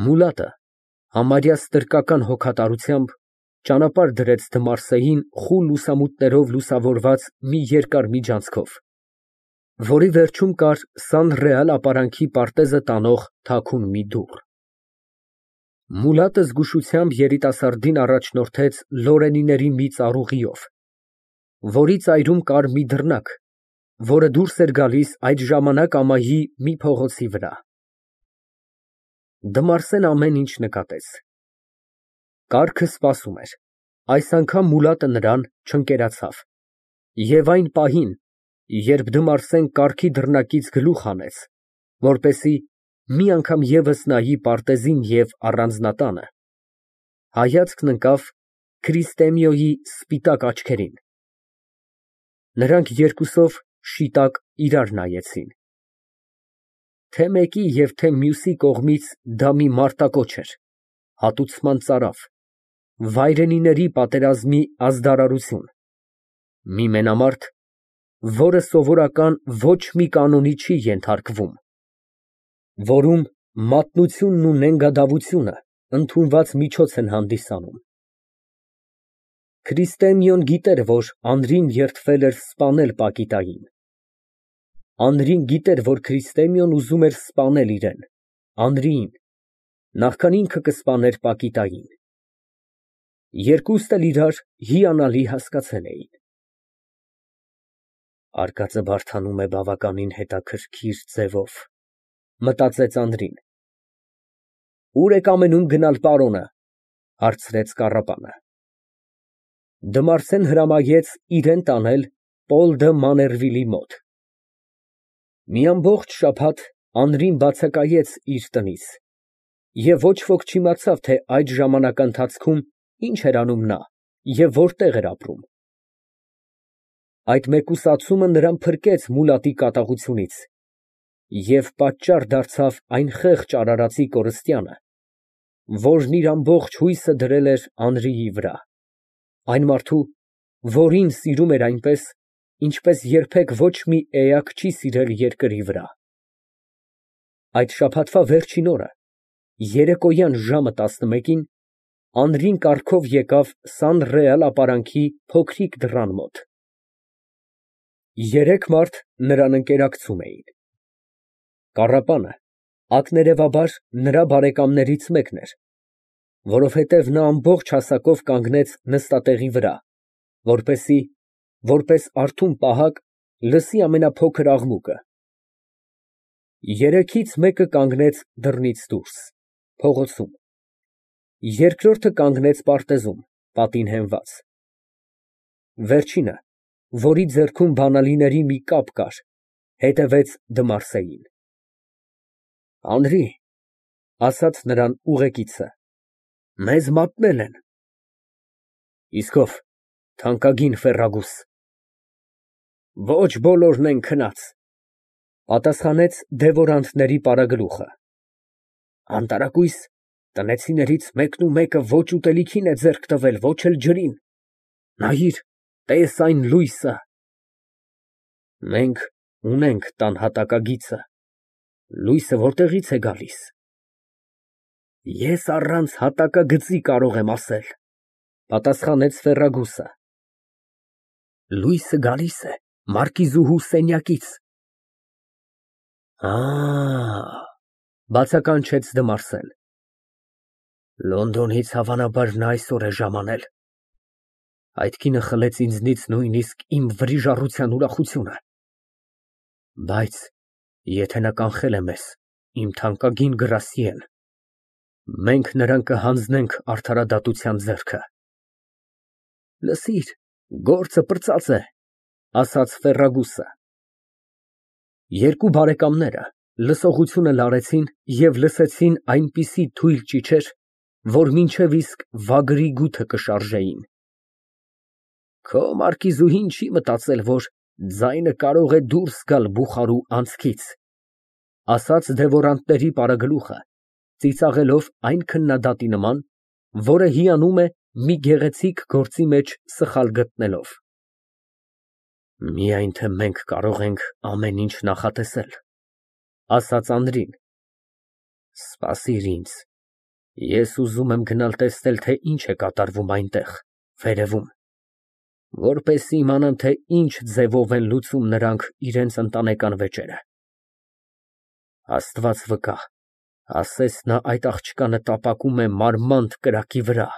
Մուլատը համարյա ստրկական հոգատարությամբ ճանապարհ դրեց Դմարսեին խուլ լուսամուտներով լուսավորված մի երկար միջանցքով, որի վերջում կար Սան ապարանքի պարտեզը տանող թաքուն մի դուռ։ Մուլատը զգուշությամբ երիտասարդին առաջնորդեց լորենիների մի ծառուղիով, որի ծայրում կար մի դռնակ, որը դուրս էր գալիս այդ ժամանակ ամայի մի փողոցի վրա։ Դմարսեն ամեն ինչ նկատեց։ Կառքը սպասում էր, այս անգամ Մուլատը նրան չընկերացավ, և այն պահին, երբ Դմարսեն կառքի դռնակից գլուխ հանեց, որպեսզի մի անգամ ևս նայի պարտեզին և առանձնատանը, հայացքն ընկավ Քրիստեմիոյի սպիտակ աչքերին։ Նրանք երկուսով շիտակ իրար նայեցին։ Թե մեկի և թե մյուսի կողմից դա մի մարտակոչ էր, հատուցման ծարավ, վայրենիների պատերազմի ազդարարություն, մի մենամարտ, որը սովորական ոչ մի կանոնի չի ենթարկվում, որում մատնությունն ու նենգադավությունը ընդունված միջոց են հանդիսանում։ Քրիստեմիոն գիտեր, որ Անրին երդվել էր սպանել Պակիտային։ Անրին գիտեր, որ Քրիստեմիոն ուզում էր սպանել իրան, Անրիին, նախքան ինքը կսպաներ Պակիտային։ Երկուսն էլ իրար հիանալի հասկացել էին։ Արկածը բարդանում է բավականին հետաքրքիր ձևով, մտածեց Անրին։ Ո՞ւր եք ամենում գնալ, պարոնը, հարցրեց կառապանը։ Դմարսեն հրամայեց իրան տանել Պոլ դը Մաներվիլի մոտ։ Մի ամբողջ շաբաթ Անրին բացակայեց իր տնից, և ոչ ոք չիմացավ, թե այդ ժամանակահատվածում ինչ էր անում նա և որտեղ էր ապրում։ Այդ մեկուսացումը նրան փրկեց Մուլատի կատաղությունից և պատճառ դարձավ այն խեղճ արարածի կորստյանը, որն իր ամբողջ հույսը դրել էր Անրիի վրա, այն մարդու, որին սիրում էր այնպես, ինչպես երբեք ոչ մի էակ չի սիրել երկրի վրա։ Այդ շաբաթվա վերջին օրը, երեկոյան ժամը 11-ին, Անրին կառքով եկավ Սան ապարանքի փոքրիկ դռան մոտ։ Երեք մարդ նրան ընկերակցում էին։ Կառապանը ակներևաբար նրա բարեկամներից մեկն էր, որովհետև նա ամբողջ հասակով կանգնեց նստատեղի վրա, որպեսզի, որպես արթուն պահակ, լսի ամենափոքր աղմուկը։ Երեքից մեկը կանգնեց դռնից դուրս, փողոցում, երկրորդը կանգնեց պարտեզում, պատին հենված, վերջինը, որի ձեռքում բանալիների մի կապ կար, հետևեց Դմարսեին։ Անրի, ասաց նրան ուղեկիցը, մեզ մատնել են։ Իսկ ո՞վ, թանկագին ֆերրագուս։ Ոչ բոլորն են քնած, պատասխանեց դևորանտների պարագլուխը։ Անտարակույս, տնեցիներից մեկն ու մեկը ոչ ուտելիքին է ձեռք տվել, ոչ էլ ջրին։ Նայիր, տես այն լույսը։ Մենք ունենք տան հատակագիծը, լույսը որտեղի՞ց է գալիս։ Ես առանց հատակագծի կարող եմ ասել, պատասխանեց ֆերրագուսը։ Լույսը գալիս է մարկիզուհու սենյակից։ Բացականչեց Դմարսեն։ Լոնդոնից հավանաբար նա այսօր է ժամանել։ Այդ կինը խլեց ինձնից նույնիսկ իմ վրիժառության ուրախությունը։ Բայց եթե նա կանխել է մեզ, իմ թանկագին գրասիեն, մենք նրան կհանձնենք արդարադատության ձեռքը։ Լսիր, գործը պրծած է, ասաց Ֆերրագուսը։ Երկու բարեկամները լսողությունը լարեցին և լսեցին այնպիսի թույլ ճիչեր, որ մինչև իսկ վագրի գութը կշարժեին։ Քո մարկիզուհին չի մտածել, որ ձայնը կարող է դուրս գալ բուխարու անցքից, ասաց դևորանտների պարագլուխը, ծիծաղելով այն քննադատի նման, որը հիանում է մի գեղեցիկ գործի մեջ սխալ գտնելով։ Միայն թե մենք կարող ենք ամեն ինչ նախատեսել, ասաց Անրին։ Սպասիր ինձ, Ես ուզում եմ գնալ տեսնել, թե ինչ է կատարվում այնտեղ, վերևում, որպեսզի իմանամ, թե ինչ ձևով են լուծում նրանք իրենց ընտանեկան վեճերը։ Աստված վկա, ասես նա այդ աղջկանը տապակում է մարմանդ կրակի վրա։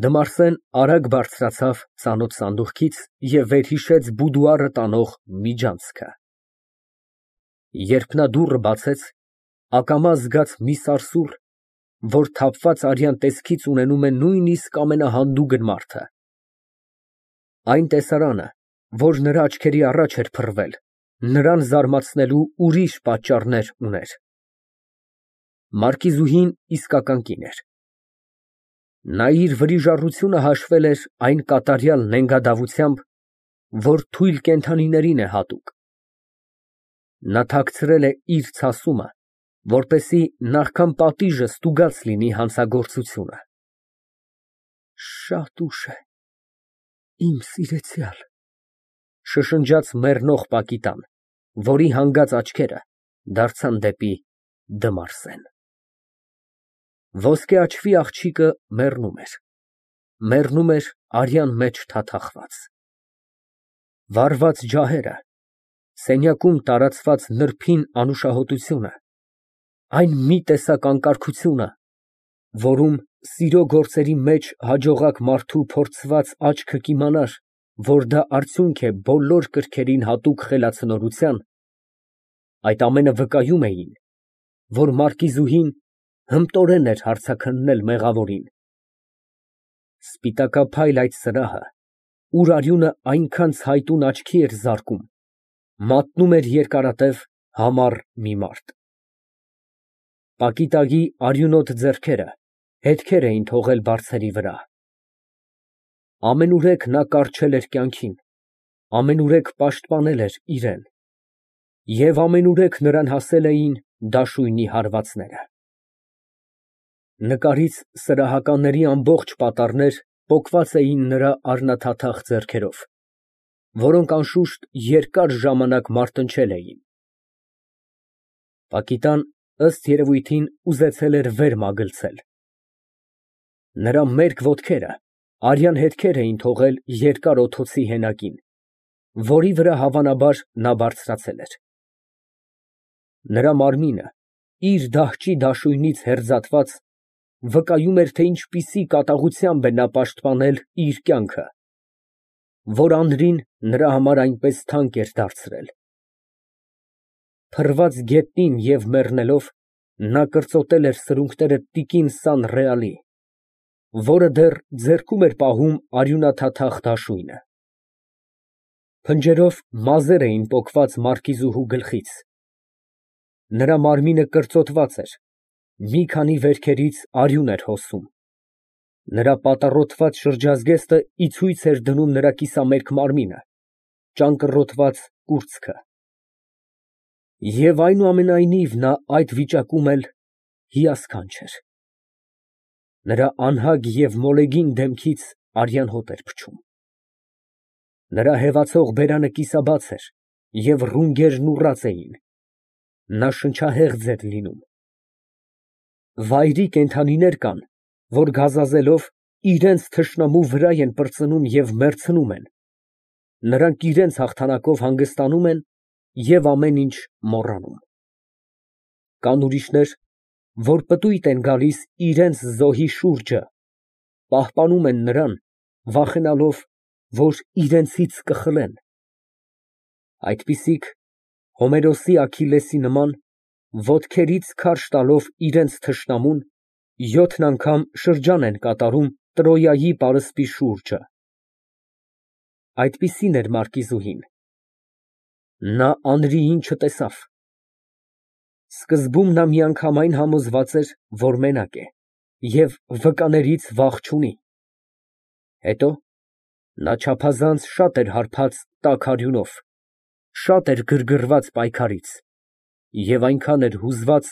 Դմարսեն արագ բարձրացավ ծանոթ սանդուղքից և վերհիշեց բուդուարը տանող միջանցքը։ Երբ նա դուռը բացեց, ակամա զգաց մի սարսուռ, որ թափված արյան տեսքից ունենում է նույնիսկ ամենահանդուգն մարդը։ Այն տեսարանը, որ նրա աչքերի առաջ էր փռվել, նրան զարմացնելու ուրիշ պատճառներ ուներ։ Մարկիզուհին իսկական կին էր։ Նա իր վրիժառությունը հաշվել էր այն կատարյալ նենգադավությամբ, որ թույլ կենդանիներին է հատուկ։ Նա թաքցրել է իր ցասումը, որպեսզի նախքան պատիժը ստուգած լինի հանցագործությունը։ Շատ ուշ է, իմ սիրեցյալ, շշնջաց մեռնող Պակիտան, որի հանգած աչքերը դարձան դեպի Դմարսեն։ Ոսկե աչքի աղջիկը մեռնում էր արյան մեջ թաթախված։ Վառված ջահերը, սենյակում տարածված նրբին անուշահոտությունը, այն մի տեսակ անկարգությունը, որում սիրո գործերի մեջ հաջողակ մարդու փորձված աչքը կիմանար, որ դա արդյունք է բոլոր կրքերին հատուկ խելացնորության, այդ ամենը վկայում էին, որ մարկիզուհին հմտորեն էր հարցաքննել մեղավորին։ Սպիտակափայլ այդ սրահը, ուր արյունը այնքան ցայտուն աչքի էր զարկում, մատնում էր երկարատև համառ մի մարդ։ Պակիտայի արյունոտ ձեռքերը հետքեր էին թողել բարձերի վրա։ Ամենուրեք նա կառչել էր կյանքին, ամենուրեք պաշտպանել էր իրեն, և ամենուրեք նրան հասել էին դաշույնի հարվածները։ Նկարից սրահականների ամբողջ պատառներ պոկված էին նրա առնաթաթախ ձեռքերով, որոնք անշուշտ երկար ժամանակ մարտնչել էին։ Պակիտան, ըստ երևույթին, ուզեցել էր վեր մագլցել։ Նրա մերկ ոտքերը արյան հետքեր էին թողել երկար օդոցի հենակին, որի վրա հավանաբար նա բարձրացել էր։ Նրա մարմինը, իր դահճի դաշույնից հեռձատված, վկայում էր, թե ինչպիսի կատաղությամբ է նա պաշտպանել իր կյանքը, որ անրին նրա համար այնպես թանկ էր դարձրել։ Փռված գետնին և մեռնելով, նա կրծոտել էր սրունքները տիկին Սան Ռեալի, որը դեռ ձեռքում էր պահում արյունաթաթախ դաշույնը։ Փնջերով մազեր էին պոկված մարկիզուհու գլխից։ Նրա մարմինը կրծոտված էր, մի քանի վերքերից արյուն էր հոսում։ Նրա պատառոտված շրջազգեստը ի ցույց էր դնում նրա կիսամերկ մարմինը, ճանկռոտված կուրծքը։ Եվ այնուամենայնիվ նա այդ վիճակում էլ հիասքանչ էր։ Նրա անհագ և մոլեգին դեմքից արյան հոտ էր փչում։ Նրա հևացող բերանը կիսաբաց էր և ռունգերն ուռած էին։ Նա շնչահեղձ էր լինում։ Վայրի կենդանիներ կան, որ գազազելով իրենց թշնամու վրա են պրծնում և մեռցնում են, նրանք իրենց հաղթանակով հանգստանում են և ամեն ինչ մոռանում։ Կան ուրիշներ, որ պտույտ են գալիս իրենց զոհի շուրջը, պահպանում են նրան, վախենալով, որ իրենցից կխլեն։ Այդպիսիք, Հոմերոսի Աքիլլեսի նման, ոտքերից քարշ տալով իրենց թշնամուն, 7 անգամ շրջան են կատարում Տրոյայի պարսպի շուրջը։ Այդպիսին էր մարկիզուհին։ Նա անրիին չտեսավ։ Սկզբում նա միանգամայն համոզված էր, որ մենակ է և վկաներից վախ չունի։ Հետո նա չափազանց շատ էր հարբած տաք արյունով, շատ էր գրգռված պայքարից և այնքան էր հուզված,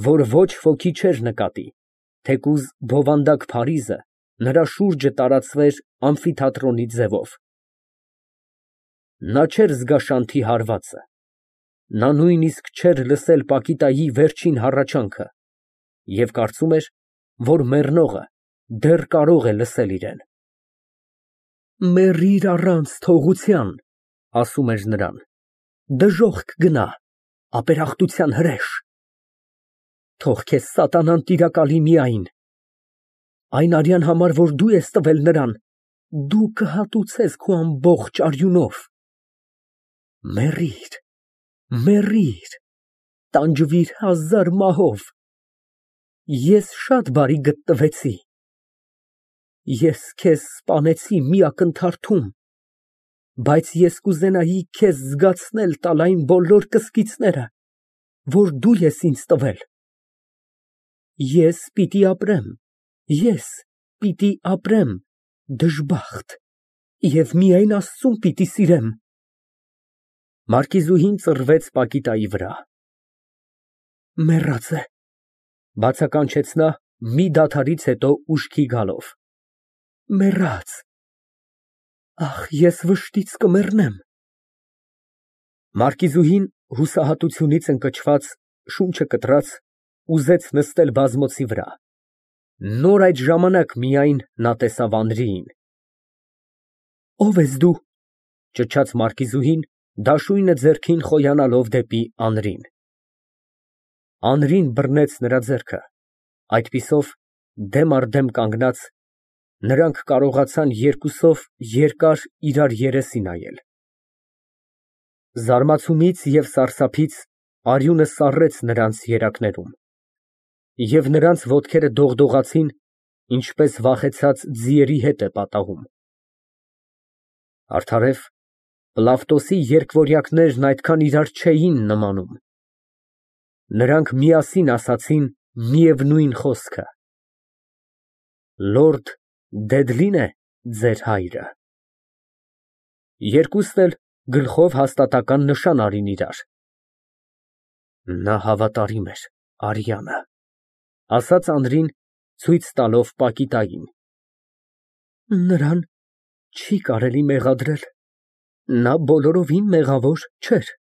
որ ոչ ոքի չէր նկատի, թեկուզ բովանդակ փարիզը նրա շուրջը տարածվեր ամֆիթատրոնի ձևով։ Նա չէր զգա Շանթի հարվածը, նա նույնիսկ չէր լսել Պակիտայի վերջին հառաչանքը, և կարծում էր, որ մեռնողը դեռ կարող է լսել իրեն։ Մեռիր առանց թողության, ասում էր նրան, դժոխք գնա, ապերախտության հրեշ։ Թող քեզ սատանան տիրակալի միայն, այն արյան համար, որ դու ես տվել նրան, դու կհատուցես քո ամբողջ արյունով։ Մեռիր, մեռիր, տանջվիր 1000 մահով։ Ես շատ բարի գտնվեցի։ Ես քեզ սպանեցի մի ակնթարթում, բայց ես կուզենայի քեզ զգացնել տալ այն բոլոր կսկիծները, որ դու ես ինձ տվել։ Ես պիտի ապրեմ, ես պիտի ապրեմ դժբախտ և միայն Աստծուն պիտի սիրեմ։ Մարկիզուհին ծռվեց Պակիտայի վրա։ Մեռած է, բացականչեց նա մի դադարից հետո ուշքի գալով։ Մեռած։ Ախ, ես վշտից կմեռնեմ։ Մարկիզուհին հուսահատությունից ընկճված, շունչը կտրած, ուզեց նստել բազմոցի վրա։ Նոր այդ ժամանակ միայն նա տեսավ Անրիին։ Ո՞վ ես դու, ճչաց մարկիզուհին, դաշույնը ձեռքին խոյանալով դեպի Անրին։ Անրին բռնեց նրա ձեռքը, այդպիսով, դեմ առ դեմ կանգնած, նրանք կարողացան երկուսով երկար իրար երեսի նայել։ Զարմացումից և սարսափից արյունը սառեց նրանց երակներում, և նրանց ոտքերը դողդողացին, ինչպես վախեցած ձիերի հետ է պատահում։ Արդարև, Պլավտոսի երկվորյակներն այդքան իրար չէին նմանում։ Նրանք միասին ասացին միևնույն խոսքը. Լորդ Դեդլին է ձեր հայրը։ Երկուսն էլ գլխով հաստատական նշան արին իրար։ Նա հավատարիմ էր արյանը, ասաց Անրին, ցույց տալով Պակիտային։ Նրան չի կարելի մեղադրել, նա բոլորովին մեղավոր չէր,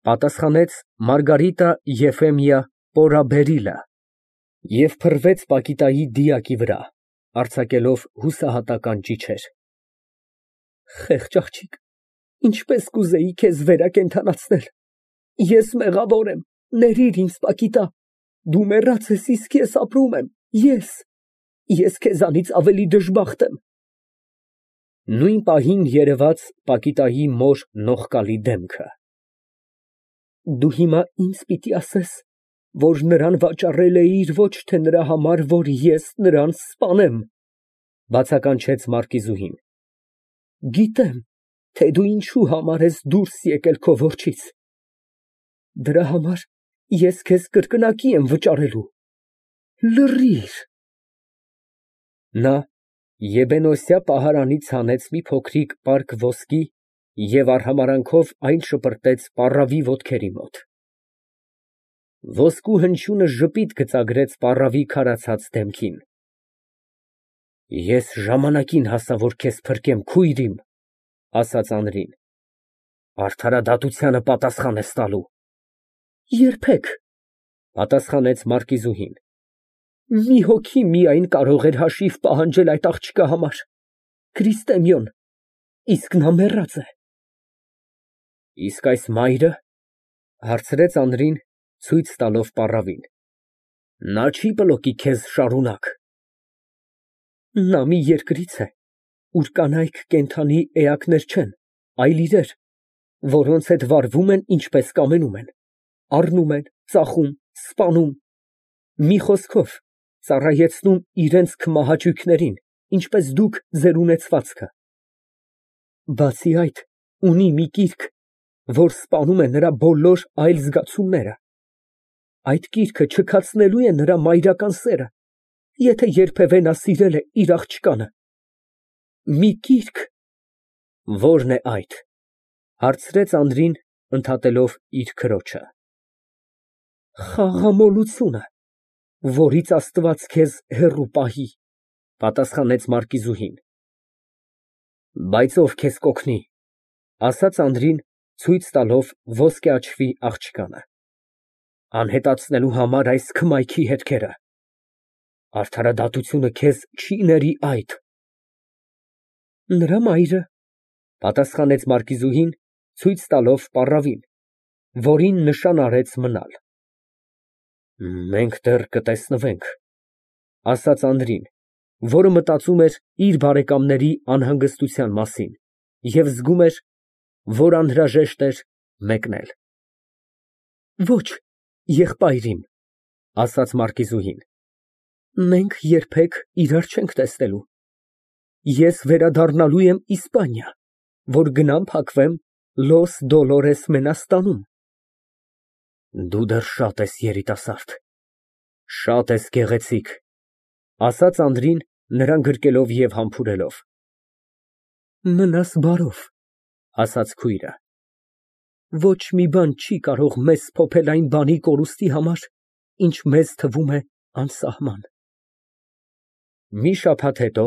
պատասխանեց Մարգարիտա Եֆեմիա Պորաբերիլը և փռվեց Պակիտայի դիակի վրա, արձակելով հուսահատական ճիչեր։ Խեղճ աղջիկ, ինչպես կուզեի քեզ վերակենդանացնել։ Ես մեղավոր եմ, ներիր ինձ, Պակիտա, դու մեռած ես, իսկ ես ապրում եմ, ես քեզանից ավելի դժբախտ եմ։ Նույն պահին երևաց Պակիտայի մոր նողկալի դեմքը։ Դու հիմա ինձ պիտի ասես, որ նրան վաճառել էիր ոչ թե նրա համար, որ ես նրան սպանեմ, բացականչեց մարկիզուհին։ Գիտեմ, թե դու ինչու համար ես դուրս եկել քո որջից։ Դրա համար ես քեզ կրկնակի եմ վճարելու։ Լռիր։ Նա եբենոսյա պահարանից հանեց մի փոքրիկ պարկ ոսկի և արհամարհանքով այն շպրտեց պառավի ոտքերի մոտ։ Ոսկու հնչյունը ժպիտ գծագրեց պառավի քարացած դեմքին։ Ես ժամանակին հասա, որ քեզ փրկեմ, քույր իմ, ասաց Անրին։ Արդարադատությանը պատասխան ես տալու։ Երբեք, պատասխանեց մարկիզուհին։ Մի հոգի միայն կարող էր հաշիվ պահանջել այդ աղջկա համար, Քրիստեմիոն, իսկ նա մեռած է։ Իսկ այս մայրը, հարցրեց Անրին, ցույց տալով պառավին, նա չի բլոկի քեզ շարունակ։ Նա մի երկրից է, ուր կանայք կենդանի էակներ չեն, այլ իրեր, որոնց հետ վարվում են, ինչպես կամենում են, առնում են, ծախում, սպանում, մի խոսքով, ծառայեցնում իրենց քմահաճույքներին, ինչպես դուք ձեր ունեցվածքը։ Բացի այդ, ունի մի կիրք, որ սպանում է նրա բոլոր այլ զգացումները։ Այդ կիրքը չքացնելու է նրա մայրական սերը, եթե երբևէ նա սիրել է իր աղջկանը։ Մի կիրք։ Ո՞րն է այդ, հարցրեց Անրին, ընդհատելով իր քրոջը։ Խաղամոլությունը, որից Աստված քեզ հեռու պահի, պատասխանեց մարկիզուհին։ Բայց ով քեզ կօգնի, ասաց Անրին, ցույց տալով ոսկե աչքի աղջկանը։ անհետացնելու համար այս քմայքի հետքերը։ Արդարադատությունը քեզ չի ների այդ։ Նրա մայրը, պատասխանեց մարկիզուհին, ցույց տալով պառավին, որին նշան արեց մնալ։ Մենք դեռ կտեսնվենք, ասաց Անդրին, որը մտածում էր իր բարեկամների անհանգստության մասին և զգում էր, որ անհրաժեշտ էր մեկնել։ Ոչ, եղբայր իմ, ասաց մարկիզուհին, մենք երբեք իրար չենք տեսնելու։ Ես վերադառնալու եմ Իսպանիա, որ գնամ փակվեմ Լոս Դոլորես Մենաստանում։ Դու դեռ շատ ես երիտասարդ, շատ ես գեղեցիկ, ասաց Անդրին, նրան գրկելով և համբուրելով։ Մնաս բարով, ասաց քույրը։ Ոչ մի բան չի կարող մեզ փոփել այն բանի կորուստի համար, ինչ մեզ թվում է անսահման։ Մի շաբաթ հետո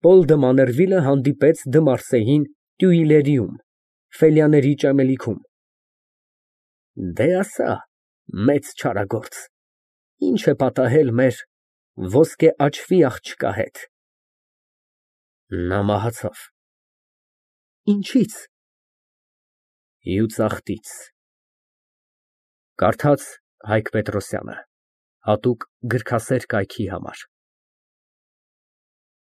Պոլ դը Մաներվիլը հանդիպեց դը Մարսեյին Տյուիլերիում, Ֆելյաների ճեմելիքում։ Դե ասա, մեծ չարագործ, ինչ է պատահել մեր ոսկե աչվի աղջկա հետ։ Նա մահացավ։ Ինչի՞ց։ Հյուծախտից։ Կարդաց Հայկ Պետրոսյանը, հատուկ գրքասեր կայքի համար։